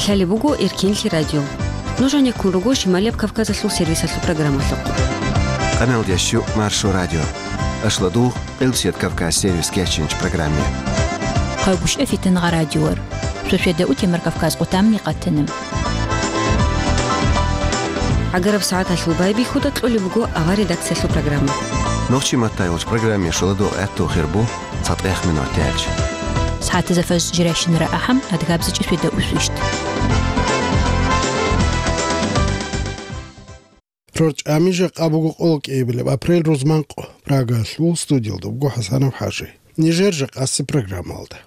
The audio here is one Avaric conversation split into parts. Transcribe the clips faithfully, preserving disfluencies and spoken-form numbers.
Лъалеб буго Эркенлъи радио. Нуж гьанеккун руго Шималияб Кавказалъул сервисалъул программалъухъ. Къаналда щу Маршо радио. Ашладугъ, Къилбсият Кавказ сервис кечинч программе. Хъайгушев Фитангъа радиор. Шошеда утемар Кавказ къутамни къатана. ГӀагараб сагӀаталъул байбихьуда кьолеб буго авар редакциялъул программа. Нохчи маттай вач программе шуладугъ гӀатту хирбу. ЦатӀех минут тяч. СагӀатазда фаж жирайщинара ахӀам, адгабзичӀи фида усвищт. РорчӀами жакъа буго къоло кӀиабилеб апрель рузманкъ. Прагалъул студиялда буго ХӀасанов ХӀажи. Нижер жакъаси программалда.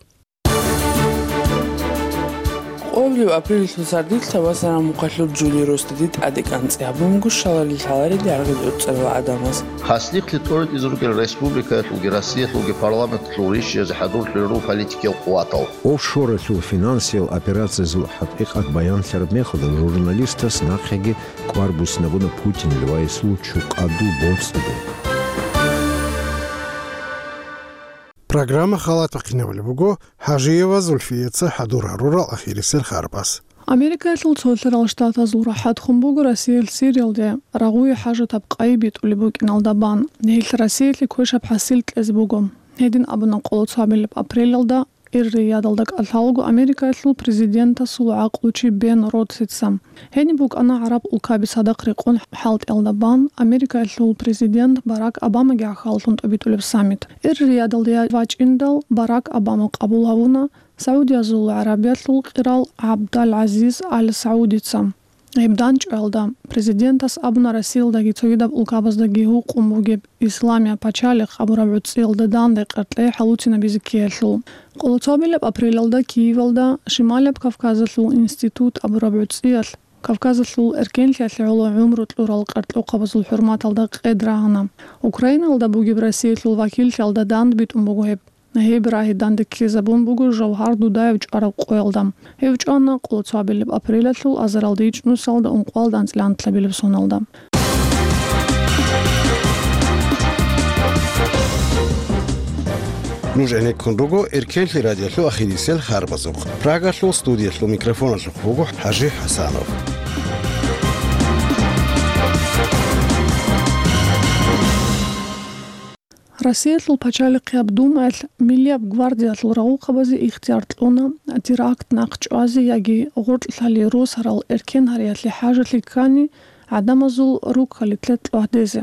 Къоло апрелалъул сардилъ Табасаран мухъалъур Жули росдаде тӀаде кӀанцӀи гьабун буго шаларил лъаларел яргъи гӀуцӀарал гӀадамаз. Хаслихълъи тӀоритӀизе ругел республикаялъулги Россиялъулги парламенталъул ришшиязде хӀадурлъулел руго политикиял къуватал. Офшоралъул финансиял операциязул хӀакъикъат баянлъараб мехалда журналистас нахъеги кӀвар буссинабуна Путин Львайисул чукъаду боцӀиде. Программа халат бахъинабулеб буго ХӀажиева Зульфияца хӀадур гьарурал ахирисел харбаз. Америкаялъул Цолъарал Штатазул рахӀат хун буго Россиялъ Сириялде рагъуе хӀажатаб къайи битӀулеб букӀиналда бан. Гьелъ Россиялъе квешаб хӀасил кьезе буго. Гьедин абуна къоло цоабилеб апрелалда Эр-Риядалда кӀалъалго Америкаялъул президентасул гӀакълучи Бен Ротсица. Гьениб букӀана гӀараб улкаби цадахъ рекъон хӀалтӀиялда бан Америкаялъул президент Барак Обамаги гӀахьаллъун тӀобитӀулеб саммит. Эр-Риядалде вачӀиндал Барак Обама къабул гьавуна Саудиязул ГӀарабиялъул къирал ГӀабдал-ГӀазиз Ал-Саудица. Гьеб данчӀваялда президентас абуна Россиялдаги цогидаб улкабаздаги гьукъун бугеб Исламия пачалихъ абураб гӀуцӀиялда данде къеркьей хӀалуцинабизе ккеялъул. Къоло цоабилеб апрелалда Киевалда Шималияб Кавказалъул институт абураб гӀуцӀиялъ Кавказалъул эркенлъиялъе гӀоло гӀумру кьурал къеркьухъабазул хӀурматалда къед рагьана. Украиналда бугеб Россиялъул вакиллъиялда дандбитӀун буго гьеб. Гьеб рагьи данде ккезабун буго Жавгьар Дудаев чӀвараб къоялда. Гьев чӀвана къоло цоабилеб апрелалъул азаралда ичӀнусалда ункъоялда анцӀила анлъабилеб соналда. Нуж гӀенеккун руго Эркенлъи радиолъул ахирисел харбазухъ. Прагалъул студиялъул микрофоналъухъ буго ХӀажи ХӀасанов. Россиялъул пачалихъияб Думаялъ Миллияб гвардиялъул рагъухъабазе ихтияр кьуна теракт нахъчӀвазе яги гъоркьлъали росарал эркен гьариялъе хӀажалъи ккани гӀадамазул руккалилъе кьвагьдезе.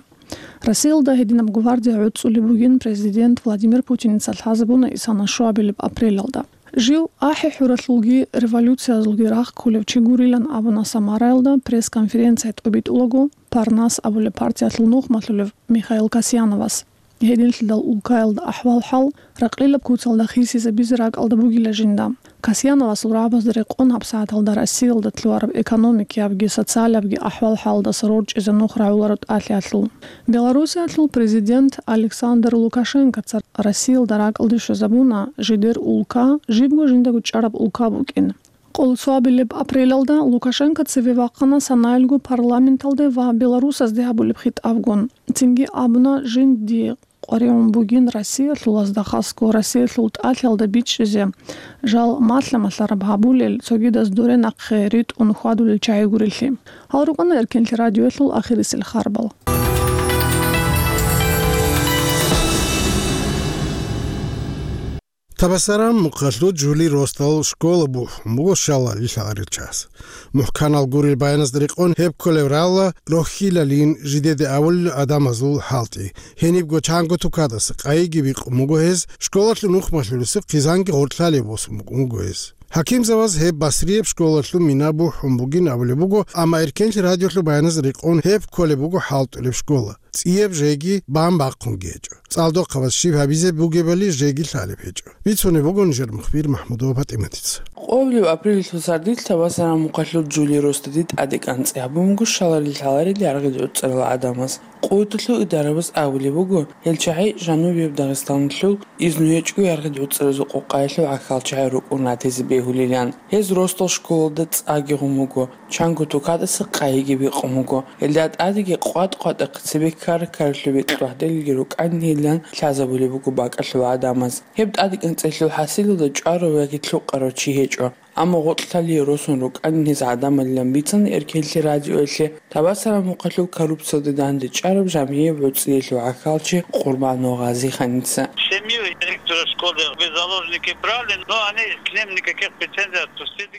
Россиялда гьединаб гвардия гӀуцӀулеб бугин президент Владимир Путиница лъазабуна исана щуабилеб апрелалда. Жив ахӀи-хӀуралъулги революциязулги рахъ кколев чи гурилан абуна Самараялда пресс-конференция тӀобитӀулаго Парнас абулеб партиялъул нухмалъулев Михаил Касьяновас. Гьединлъидал улкаялда ахӀвал-хӀал, ракълилаб куцалда хисизабизе ракӀалда бугила жинда. Касьяновасул рагӀабазда рекъон гьабсагӀаталда Россиялда лъугьараб экономикиябги социалиябги ахӀвал-хӀалдаса рорчӀизе нух рагӀуларо тӀалъиялъул. Белоруссиялъул президент Александр Лукашенкоца Россиялда ракӀалде щвезабуна жидер улка жибго жиндаго чӀараб улка букӀин. Къоло цоабилеб апрелалда Лукашенко цеве вахъана санаялго парламенталде ва Беларусазде гьабулеб хитӀабгун. Цинги абуна, жинди къваригӀун бугин Россиялъулазда, хасго Россиялъул тӀалъиялда бичӀчӀизе, жал малъа-малъараб гьабулел, цогидаз доре нахъе ритӀун хьвадулел чагӀи гурелъи. Гьал рукӀана Эркенлъи радиоялъул ахирисел харбал. Табасаран мухъалъуд Жули росдал школа бухӀун буго шалали лъагӀарил час. МухӀканал гурел баяназда рекъон гьеб кколев рала рохьилалин жидеде авулел адамазул хӀалтӀи. Гьенибго чанго тукадаса къайиги бикъун буго гьез, школалъул нухмалъулесухъ хъизанги гъоркьлъалеб босун букӀун буго гьез. ХӀакимзаваз гьеб Басрияб школалъул мина бухӀун бугин абулеб буго, амма Эркенлъи радиолъул баяназда рекъон гьеб кколеб буго хӀалтӀулеб школа. ЦӀияб жеги бан бахъунги гьечӀо. ЦӀалдохъабаз щиб гьабизе бугебали жеги лъалеб гьечӀо. Бицунеб буго нижер мухбир МахӀмудова ПатӀиматица. Къоблъи апрелалъул сардилъ Табасаран мухъалъур Жули росдаде тӀаде кӀанцӀи гьабун буго шаларил лъаларел яргъил гӀуцӀарал гӀадамаз. Къоталъул идарабаз абулеб буго, гьел чагӀи жанубияб Дагъистаналъул изну гьечӀго яргъил гӀуцӀаразул къукъаялъул гӀахьал чагӀи рукӀун ратизе бегьулилан. Гьез росдал школалда цӀаги гъун буго, чанго тукадаса къайиги бикъун буго. Гьелда тӀадеги къватӀ-къватӀахъе цебе ккара-ккаралъубе кьвагьделги рукӀанин. лъазабулеб буго бакӀалъул гӀадамаз. Гьеб тӀадекӀанцӀелъул хӀасилалда чӀварав яги лъукъарав чи гьечӀо. Амма гъоркьлъалие росун рукӀанин гьез гӀадамалилан бицана Эркенлъи радиоялъе Табасараб мухъалъул коррупциялде дандечӀараб жамгӀияб гӀуцӀиялъул гӀахьалчи Къурбанов Гъазиханица. Семью директора школы в заложники брали, но они к ним никаких претензий отпустили.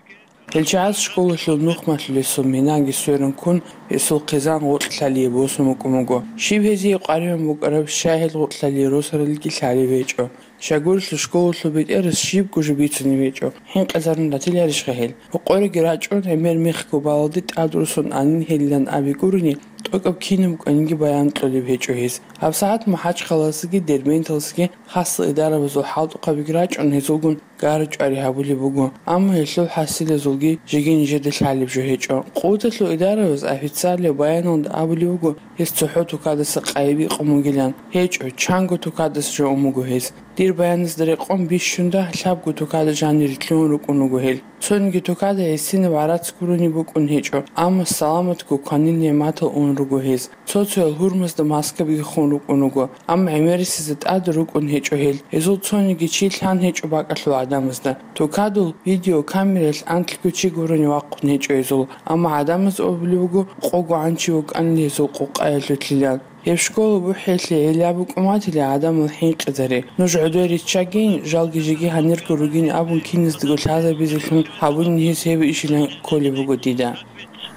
Гьел чагӀаз школалъул нухмалъулесул минаги сверун ккун, гьесул хъизан гъоркьлъалие босун букӀун буго. Щиб гьезие къваригӀун букӀараб, щай гьел гъоркьлъалие росаралги лъалеб гьечӀо. Щайгурелъул школалъул бетӀерас щибго жо бицунеб гьечӀо, хӀинкъизарун ратиларищха гьел? Рокъореги рачӀун, гӀемер мехго балалде тӀад росун анин гьелилан аби гурони, тӀокӀаб кинаб кӀванинги баян кьолеб гьечӀо гьез. ГьабсагӀат МахӀачхъаласаги Дербенталасаги хасал идарабазул хӀалтӀухъабиги рачӀун, гьезулгун гара-чӀвари гьабулеб буго, амма гьелъул хӀасилазулги жеги нижеда лъалеб жо гьечӀо. Къуваталъул идарабаз официалияб баяналда абулеб буго, гьес цохӀо тукадаса къайи бикъун бугилан. ГьечӀо, чанго тукадаса жо ун буго гьес. Дир баяназда рекъон бищунда лъабго тукада жанире лъугьун рукӀун руго гьел. Цониги тукада гӀисинаб гӀарац гурони букӀун гьечӀо, амма саламатго кванил нигӀматал ун руго гьез. Цо-цоял гьурмазда маскабиги хун рукӀун руго, амма гӀемерисезда тӀад рукӀун гьечӀо гьел. Гьезул цониги чи лъан гьечӀо бакӀалъул гӀадамазда. Тукадул видеокамералъ анкьго чи гурони вахъун гьечӀо гьезул, амма гӀадамаз абулеб буго, къого гӀанчи вукӀанила гьезул къукъаялъулъилан. Гьеб школа бухӀиялъе гӀилла букӀун батила гӀадамал хӀинкъизари. Нуж гӀодой риччагейин, жалги жеги гьанирго ругин абун киназдаго лъазабизелъун гьабунин гьез гьеб ишилан кколеб буго дида.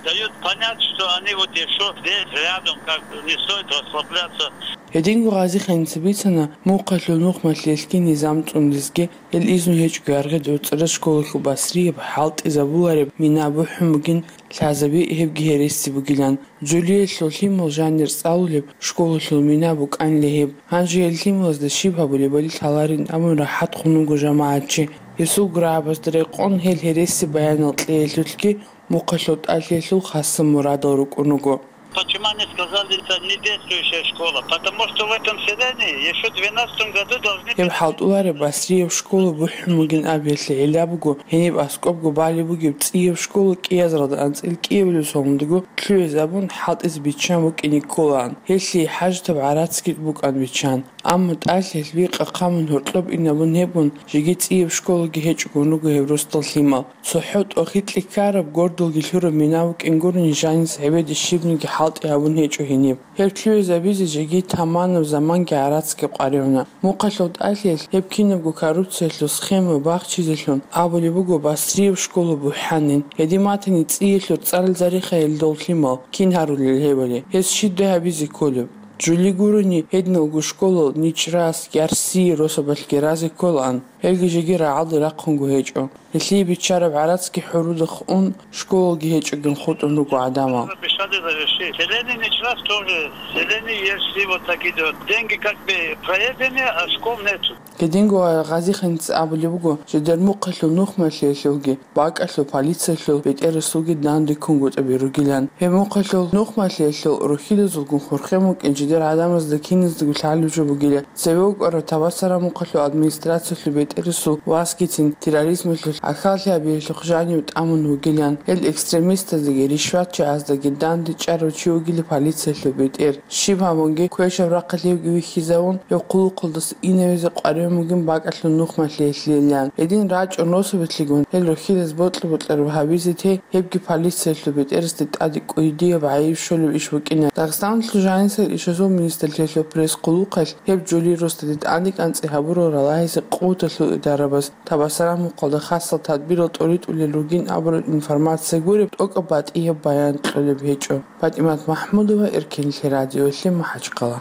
Дают понять, что они вот ещё здесь рядом, как бы не стоит расслабляться. Гьединго Гъазиханица бицана, мухъалъул нухмалъиялъги низам цӀундизги, гьел изну гьечӀого яргъи дурцӀараз школалъул басрияб, хӀалтӀизабулареб мина бухӀун бугин лъазаби, гьебги гьереси бугилан. Жулиялъул лъимал жанир цӀалулеб школалъул мина букӀанила гьеб. Гьанже гьел лъималазда щиб гьабулебали лъаларин абун рахӀат хун вуго жамагӀатчи. Гьесул гурабазда рекъон гьел гьереси баянал кьеялъулъги мухъалъул тӀалъиялъул хасаб мурадал рукӀун руго. Почему они сказали, это не действующая школа? Потому что в этом селении ещё в двенадцатом году должны... Гьеб хӀалтӀулареб басрияб школа бухӀун бугин абиялъе гӀилла буго, гьениб аскӀобго балеб бугеб цӀияб школа кӀиазаралда анцӀила кӀиабилеб соналдаго лъугӀизабун, хӀалтӀизе биччан букӀине кколаан. Гьелъие хӀажатаб гӀарацги букӀан биччан. Амма тӀалъиялъ бикъа хъамун гьоркьоб инабун гьебгун, жеги цӀияб школаги гьечӀогун руго гьеб росдал лъимал. ЦохӀо тӀохитӀлъи ккараб, гордалги лъураб мина букӀин гурони жаниса гӀебеде щибниги хӀалтӀи гьабун гьечӀо гьениб. Гьеб лъугӀизабизе жеги таманаб заманги гӀарацги къваригӀуна. Мухъалъул тӀалъиялъ гьеб кинабго коррупциялъул схема бахчизелъун абулеб буго басрияб школа бухӀанин. Гьедин батани цӀиялъул цӀарал зарихъа гьел дол лъимал, кин гьарулел гьебали, гьез щибдай гьабизе кколеб? Жули гурони, гьединалго школал ничӀрас, ярси росабалъги разе кколаан, гьелги жеги рагӀалде рахъунго гьечӀо. Гьелъие биччараб гӀарацги хӀурудахъ ун, школалги гьечӀогин хутӀун руго гӀадамал. Обещали завершить. Селение ничего тоже. Селение есть, и вот такие вот. Деньги как бы проедены, а школ нету. Гьединго Гъазиханица абулеб буго, жидер мухъалъул нухмалъиялъулги, бакӀалъул полициялъул бетӀерасулги данде ккунгутӀаби ругилан. Гьеб мухъалъул нухмалъиялъул рухьилазулгун хурхен букӀин жидер гӀадамазда киназдаго лъалеб жо бугила. Цеве вукӀарав Табасараб мухъалъул администрациялъул бетӀерасул васгицин терроризмалъул гӀахьаллъи гьабиялъухъ жанив тӀамун вугилан, гьел экстремистаздаги ришватчагӀаздаги данде чӀарав чи вугила полициялъул бетӀер. Щиб гьабунги, квешаб рахъалъивги вихьизавун, гьев хъулухъалдаса инавизе къваригӀун бугин бакӀалъул нухмалъиялъилан. Гьедин рачӀун росабалъигун, гьел рухьилаз бокьа-бокьараб гьабизе те, гьебги полициялъул бетӀерасде тӀаде кӀудияб гӀайиб щолеб иш букӀина. Дагъистаналъул жанисел ишазул министрлъиялъул пресс-къулухъалъ гьеб жули росдаде тӀадекӀанцӀи гьабурал ралагьизе къуваталъул идарабаз Табасараб мухъалда хасал тадбирал тӀоритӀулел ругин абураб информация гуреб, тӀокӀаб батӀияб баян кьолеб гьечӀо. ПатӀимат МахӀмудова, Эркенлъи радиоялъе, МахӀачхъала.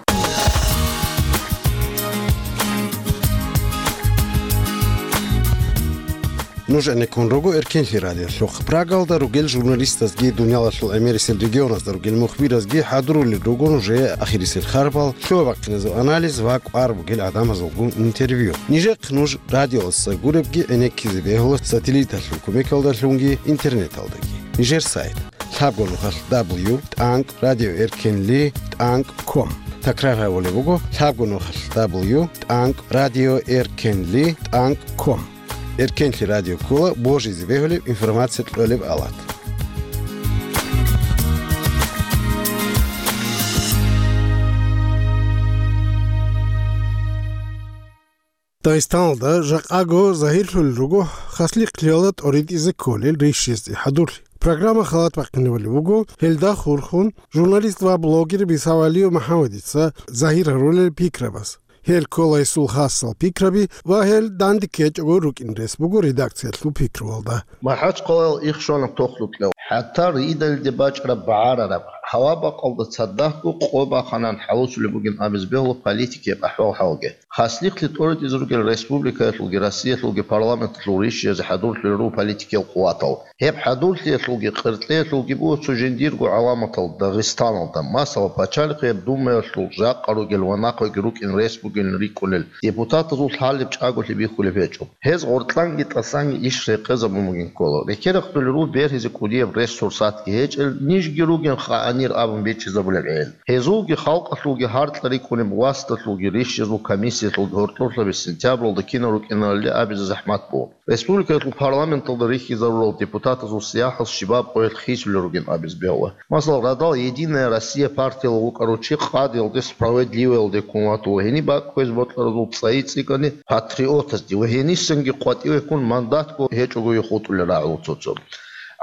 Нуж гӀенеккун руго Эркенлъи радиолъухъ. Прагалда ругел журналистазги, дуниялалъул гӀемерисел регионазда ругел мухбиразги хӀадурулел руго нужее ахирисел харпал, лъугьа-бахъиназул анализ ва кӀвар бугел гӀадамазулгун интервью. Нижехъ нуж радиоялдаса гуребги гӀенеккизе бегьула сателлиталъул кумекалдалъунги интернеталдаги. Нижер сайт: лъабго нухалъ дабл ю тӀанкӀ радио эркенли тӀанкӀ ком. Такрар гьабулеб буго: лъабго нухалъ дабл ю тӀанкӀ радио эркенли тӀанкӀ ком. Эркенлъи радио ккола божизе бегьулеб информация кьолеб алат. Дагъистаналда жакъаго загьирлъулел руго хаслихълъиялда тӀоритӀизе кколел рищезде хӀадурлъи. Программа халат бахъинабулеб буго, гьелда хурхун журналист ва блогер Бисавалиев МухӀаммадица загьир гьарулел пикрабаз. Гьел ккола гьесул хасал пикраби ва гьел данде ккечӀого рукӀин рес буго редакциялъул пикруялда. МахӀачхъалаялъ иххьана тохлукьев, хӀатта ридалиде бачӀараб багӀарараб, гьава-бакъалда цадахъго къо бахъанан хӀалусулеб бугин абизе бегьула политикияб ахӀвал-хӀалги. Хаслихълъи тӀоритӀизе ругел республикаялъулги Россиялъулги парламенталъул рищизе хӀадурлъулел руго политикиял къуватал. Гьеб хӀадурлъиялъулги къеркьеялъулги буго цо жиндирго гӀаламатал Дагъистаналда, масала, пачалихъияб Думаялъул жакъа ругел ва нахъеги рукӀин рес бугилан рикӀкӀунел депутатазул лъалеб чӀаголъи бихьулеб гьечӀо. Гьез гъоркьанги тӀасанги иш рекъезабун бугин ккола. Рекерахъулел руго бергьизе кӀудияб ресурсатги гьечӀел, нижги ругин къаанир абун бичӀчӀизабулеб гӀел. Гьезулги халкъалъулги гьаркьа рикӀкӀунеб власталъулги рищезул комиссиялъулги гьоркьорлъаби сентябралда кинал рукӀиналали абизе захӀмат буго. Республикаялъул парламенталда рихьизарурал депутатазул сияхӀал щибаб къоялъ хисулел ругин абизе бегьула. Масала, радал «Единая Россия» партиялъ вукӀарав чи къадиялде, «Справедливоялде» ккун ватула, гьениб бакӀ кквезе бокьаразул цӀайи цӀикӀкӀани патриотазде ва гьенисанги къватӀиве ккун мандатго гьечӀого хутӀулел рагӀула цо-цо.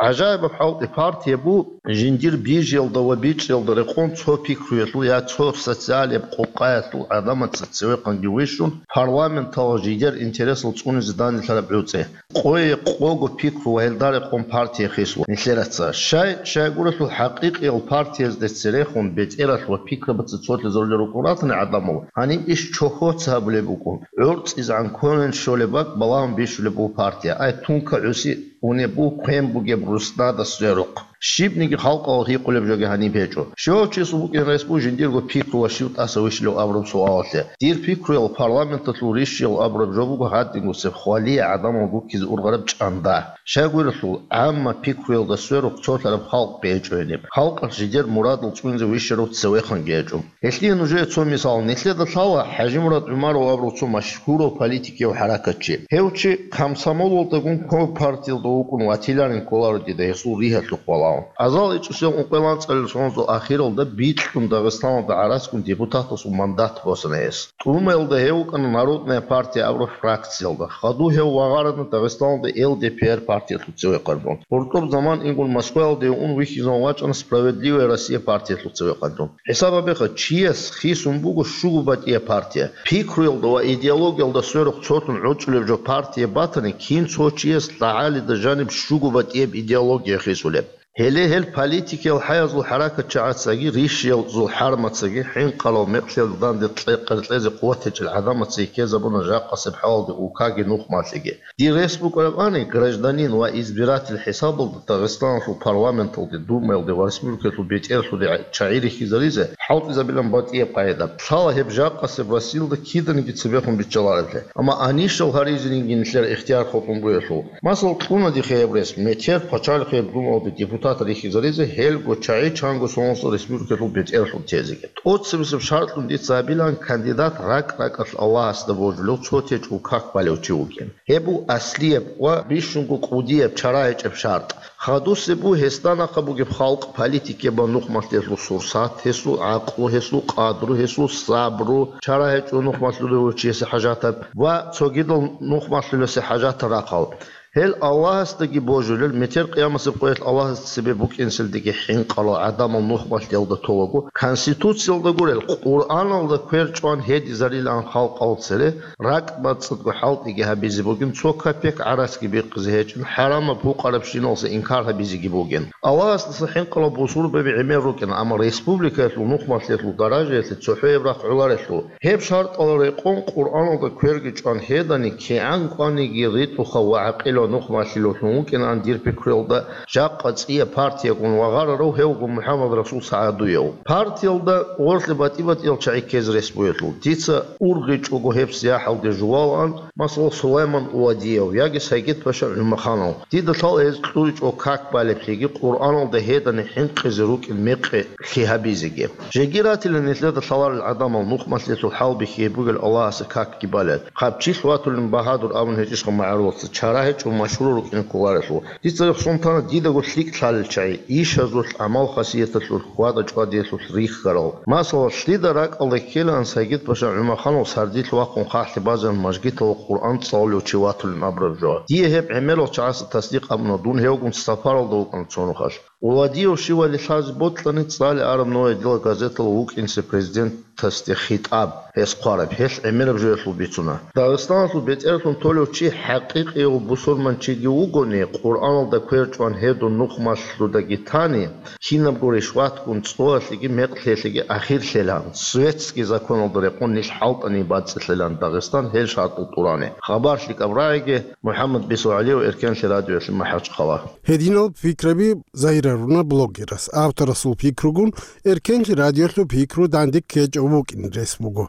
ГӀажаибаб хӀалтӀи, партия бу жиндир бижиялда ва бичӀчӀиялда рекъон цо пикруялъул я цо социалияб къукъаялъул гӀадамаца цевехъанги вищун, парламенталъ жидер интересал цӀунизе данделъараб гӀуцӀи. Къое къого пикру ва гьелда рекъон партия хисула нилъераца. Щай, щайгурелъул хӀакъикъиял партиязде церехун бетӀералъ ва пикрабаца цолъизарулел рукӀун ратани гӀадамал, гьаниб иш чохьоца гьабулеб букӀун. ГӀорцӀизегӀан квен щолеб бакӀ балагьун бищулеб буго партия. Ай, тунка гӀуси унеб буго квен бугеб руснада сверухъ. Щибниги халкъалъ гьикъулеб жоги гьаниб гьечӀо. Щивав чиясул букӀин рес буго жиндирго пикру ва щив тӀаса вищилев абураб суалалъе. Дир пикруял парламенталъул рищиял абураб жо буго гьадингусеб хвалие гӀадамал гуккизе ургъараб чӀанда. Щайгурелъул, гӀамма пикруялда сверухъ цолъараб халкъ гьечӀо гьениб. Халкъалъ жидер мурадал цӀунизе вищарав цевехъанги гьечӀо. Гьелъие нужее цо мисал. Нилъеда лъала ХӀажимурад ГӀумаров абурав цо машгьурав политикияв хӀаракатчи. Гьев чи комсомолалдагун компартиялда вукӀун ватиларин кколаро дида гьесул ригьалъухъ валагьун. Азал ичӀусиял ункъоялда анцӀабилеб соналъул ахиралда бикьун Дагъистаналда гӀараскун депутатасул мандат босана гьес. Думаялда гьев вукӀана «Народная партия» абураб фракциялда. Хадув гьев вагъарана Дагъистаналда Л Д П Р партиялъул цевехъанлъун. ГъуртӀуб заман ингун Москваялде ун вихьизавун вачӀана «Справедливая Россия» партиялъул цевехъанлъун. ХӀисаб гьабеха, чияс хисун буго щуго батӀияб партия. Пикруялда ва идеологиялда сверухъ цолъун гӀорцӀулеб жо партия батани, кин цо чияс лъагӀалида жаниб щуго батӀияб идеология хисулеб. Гьеле гьел политикиял хӀаязул хӀаракатчагӀацаги, рищиязул хӀармацаги, хӀинкъарал мекълъиялда данде кье-, къеркьезе къуват гьечӀел гӀадамацаги ккезабуна жакъасеб хӀалалде улкаги нухмалъиги. Дир рес букӀарабани, гражданин ва избиратель хӀисабалда Дагъистаналъул парламенталде, Думаялде ва республикаялъул бетӀерлъуде чагӀи рихьизаризе хӀалтӀизабилан батӀияб къагӀида. Лъала гьеб жакъасеб Россиялда киданиги цебехун биччалареблъи. Амма анищал гьаризеги нилъер ихтияр хутӀун бугелъул. Масал, кьуна дихъе гьеб рес, метер пачалихъияб Думаялде депутат рихьизаризе гьелго чагӀи чанго соналъ республикалъул бетӀерлъун тезеги. ТӀоцебесеб шартӀлъун дица гьабилан кандидат ракӀ-ракӀалъ Аллагьасда божулев цо течӀул как балев чи вугин. Гьеб буго аслияб ва бищунго кӀудияб чара гьечӀеб шартӀ. Хадусеб буго гьесда нахъа бугеб халкъ, политикияб ва нухмалъиялъул сурсат, гьесул гӀакълу, гьесул къадру, гьесул сабру, чара гьечӀо нухмалъулев чиясе хӀажатаб ва цогидал нухмалъулесе хӀажатал рахъал. Гьел Аллагьасдаги божулел, метер къиямасеб къоялъ Аллагьасда цебе букӀинселдеги хӀинкъарал гӀадамал нухмалъиялда толаго, Конституциялда гурел, Къуръаналда квер чӀван гьедизарилан халкъал цере, ракӀ-бацӀцӀадго хӀалтӀиги гьабизе бугин, цо копек гӀарацги бихъизе гьечӀин, хӀарамаб гьукъарабщиналъе инкар гьабизеги бугин. Аллагьасдаса хӀинкъарал бусурбаби гӀемер рукӀин, амма республикаялъул нухмалъиялъул даражаялъе цохӀояб рахъ гӀоларелъул. Гьеб шартӀал рекъон Къуръаналда кверги чӀван гьедани, кигӀан кӀваниги ритӀухъав ва гӀакъилав нухмалъилавлъун вукӀинаан дир пикруялда, жакъа цӀияб партиягун вагъарарав гьевго МухӀаммадрасул СагӀадуев. Партиялда гъорлъе батӀи-батӀиял чагӀи ккезе рес бугелъул, дица ургъичӀого гьеб сияхӀалде жувалаан, масала, Сулайман Увадиев яги Сагидпаша ГӀумаханов. Дида лъала гьез кьуричӀого как балеблъиги Къуръаналда гьедани хӀинкъизе рукӀин мекъи лъи гьабизеги. Жеги ратила нилъеда лъаларел гӀадамал нухмалъелъул хӀал бихьи бугел Аллагьасе какги балел. Хъабчилъ ватулин багьадур абун гьечӀищха магӀарулаца, чара гьечӀо машгьурал рукӀине кколарелъул. Дица рехсон тана дидаго лъикӀ лъалел чагӀи, ишазулъ, гӀамал-хасияталъулъ, хьвада-чӀвадиялъулъ рихьарал. Масала, лъида ракӀалда ккелаан Сагид-паша ГӀумаханов сардилъ вахъун хъахӀлъи базарун мажгиталда Къуръан цӀалулев чи ватулин абураб жо. Дие гьеб гӀемерал чагӀаца тасдикъ абуна, дун гьевгун сапаралда вукӀана цо нухалъ. Владиев щивали лъазе бокьани, цӀалиараб новая дела газеталда вукӀинчӀеб президент тасде хитӀаб, гьес хъвараб, гьелъ гӀемераб жоялъул бицуна. Дагъистаналъул бетӀерлъун толев чи хӀакъикъияв бусурманчиги вугони, Къуръаналда кверчӀван гьедун нухмалъудаги тани, кинабго ришватгун цӀоялъеги мекълъиялъеги ахирлъилан, светский законалда рекъон нилъ хӀалтӀани бацӀцӀилъилан Дагъистан гьел шартӀал тӀурани. Хабар лъикӀаб рагӀиги, МухӀаммад Бисугьалиев, Эркенлъи радиоялъе, МахӀачхъала. Гьединал пикраби загьируна блогерас. Авторасул пикругун Эркенлъи радиолъул пикру данде ккечӀев вукӀин рес буго.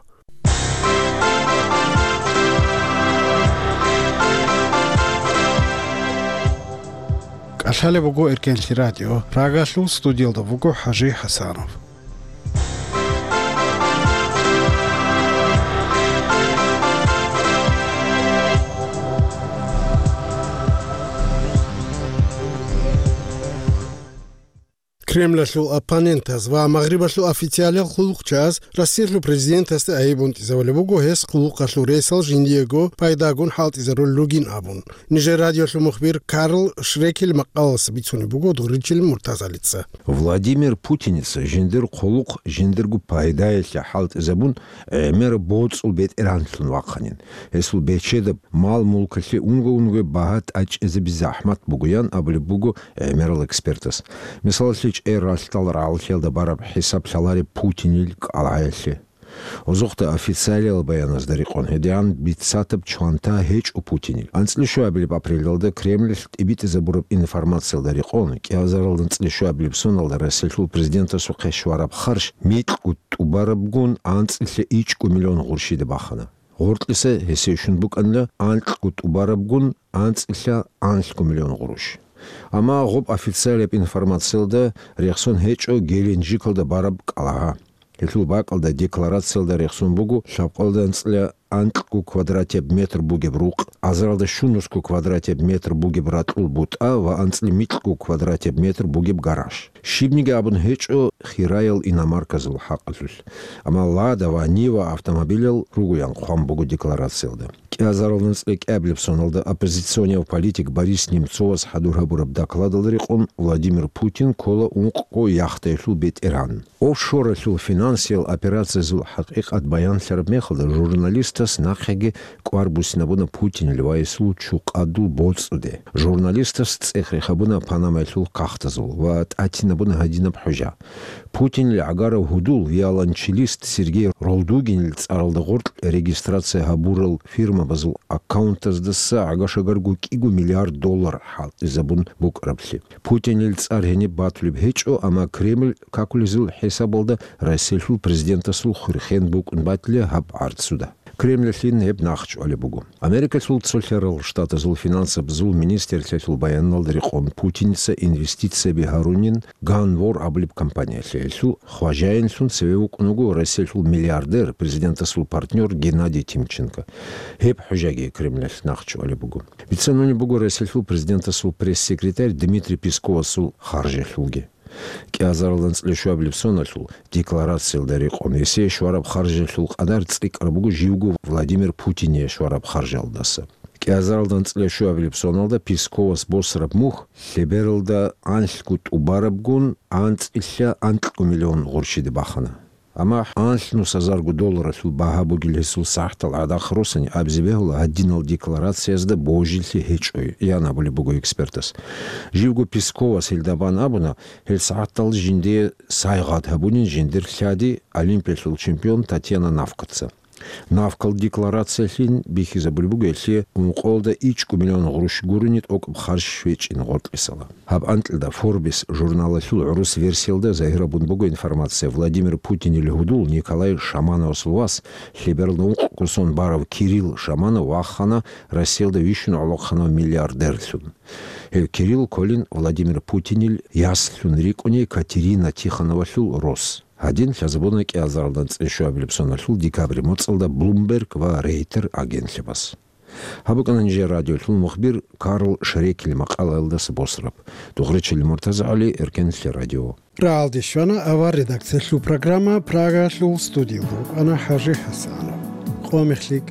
КӀалъалеб буго Эркенлъи радио. Рагалъул студиялда вуго ХӀажи ХӀасанов. Кремлалъул оппонентаз ва Магърибалъул официалиял хъулухъчияз Россиялъул президентасда айиб унтӀизавулеб буго гьес хъулухъалъул ресал жиндиего пайдагун хӀалтӀизарулел ругин абун. Нижер радиолъул мухбир Карл Шрекель макъалалъ бицунеб буго Дуричил Муртазалица. Владимир Путиница жиндир хъулухъ жиндирго пайдаялъе хӀалтӀизабун, гӀемер боцӀул бетӀеранлъун вахъанин. Гьесул бечедаб мал-мулкалъе унго-унго багьа тӀачӀизаби захӀмат бугоян абулеб буго гӀемерал экспертас. Мисалалъе, чӀей ралъдал рагӀаллъиялда бараб хӀисаб лъалареб Путинил кӀалгӀаялъе. Озохъда официалиял баяназда рекъон гьедигӀан бицатаб чванта гьечӀо Путинил. АнцӀила щуабилеб апрелалда Кремлалъ тӀибитӀизабураб информациялда рекъон, кӀиазаралда анцӀила щуабилеб соналда Россиялъул президентасухъе щвараб харж микьго тӀубарабгун анцӀила ичӀго миллион гъурщида бахана. Гъоркьиса гьесие щун букӀанила анкьго тӀубарабгун анцӀила анлъго миллион гъурущ. Амма гъоб официалияб информациялда рехсон гьечӀо Геленджикалда бараб кӀалгӀа. Гьелъул бакӀалда декларациялда рехсон буго лъабкъоялда анцӀила анкьго квадратияб метр бугеб рукъ, азаралда щунусго квадратияб метр бугеб ракьул бутӀа ва анцӀила микьго квадратияб метр бугеб гараж. Щибниги абун гьечӀо хираял иномарказул хӀакъалъулъ, амма Лада ва Нива автомобилал ругоян хъван буго декларациялда. КӀиазаралда анцӀила кӀиабилеб соналда оппозиционияв политик Борис Немцовас хӀадур гьабураб докладалда рекъон Владимир Путин ккола ункъго яхдаялъул бетӀергьан. Офшоралъул финансиял операциязул хӀакъикъат баянлъараб мехалда журналистас нахъеги кӀвар буссинабуна Путинил ва гьесул чукъадул боцӀуде. Журналистас цӀех рехабуна Панамаялъул кагътазул ва тӀатинабуна гьадинаб хӀужа. Путинил гӀагарав гьудул виолончелист Сергей Ролдугинил цӀаралда гъоркь регистрация гьабурал фирмабазул аккаунтаздаса гӀага-шагарго кӀиго миллиард доллар хӀалтӀизабун букӀараблъи. Путинил цӀар гьениб батулеб гьечӀо, амма Кремль какулезул хӀисабалда Россиялъул президентасул хурхен букӀун батила гьаб гӀарцуда. Кремльалъин гьеб нахъчӀвалеб буго. Америкалъул цолъарал штатазул финансабазул министрлъиялъул баяналда рекъон Путиница инвестицияби гьарунин Ганвор абулеб компаниялъе, гьелъул хважаинлъун цеве вукӀун вуго Россиялъул миллиардер, президентасул партнер Геннадий Тимченко. Гьеб хӀужаги Кремльалъ нахъчӀвалеб буго. Бицанунеб буго Россиялъул президентасул пресс-секретарь Дмитрий Песковасул харжалъулги. КӀиазаралда анцӀила щуабилеб соналъул декларациялда рекъон гьесие щвараб харжалъул къадар цӀикӀкӀараб буго живго Владимир Путине щвараб харжалдаса. КӀиазаралда анцӀила щуабилеб соналда Песковас босараб мухь лъебералда анлъго тӀубарабгун анцӀила анкьго миллион гъурщида бахана. Амма анлънус гьазарго долларалъул багьа бугел гьесул сахӀатал гӀадахъ росани абизе бегьула гьадинал декларациязда божилъи гьечӀой, ян абулеб буго экспертас. Живго Песковас гьелда бан абуна, гьел сахӀатал жиндие сайгъат гьабунин жиндир лъади Олимпиялъул чемпион Татьяна Навкаца. Навкал декларациялъин бихьизабулеб буго гьелъие ункъоялда ичӀго миллион гъурущ гурони тӀокӀаб харж щвечӀин гъоркьисала. Гьаб анкьида Forbes журналалъул гӀурус версиялда загьир гьабун буго информация: Владимир Путинил гьудул Николай Шамановасул вас, лъебералда ункъго сон барав Кирилл Шаманов вахана Россиялда вищун гӀолохъанав миллиардерлъун. Гьев Кирилл кколин Владимир Путинил яслъун рикӀкӀуней Катерина Тихоновалъул рос. Гьадин лъазабуна кӀиазаралда анцӀила щуабилеб соналъул декабрь моцӀалда Bloomberg ва Рейтер агентлъабаз. Гьаб букӀана нижер радиолъул мухбир Карл Шрекил макъалаялдаса босараб. Дугъречили Муртаза ГӀали, Эркенлъи радио. РагӀалде щвана авар редакциялъул программа, Прагалъул студиялда рукӀана ХӀажи ХӀасанов. Къо мехлъи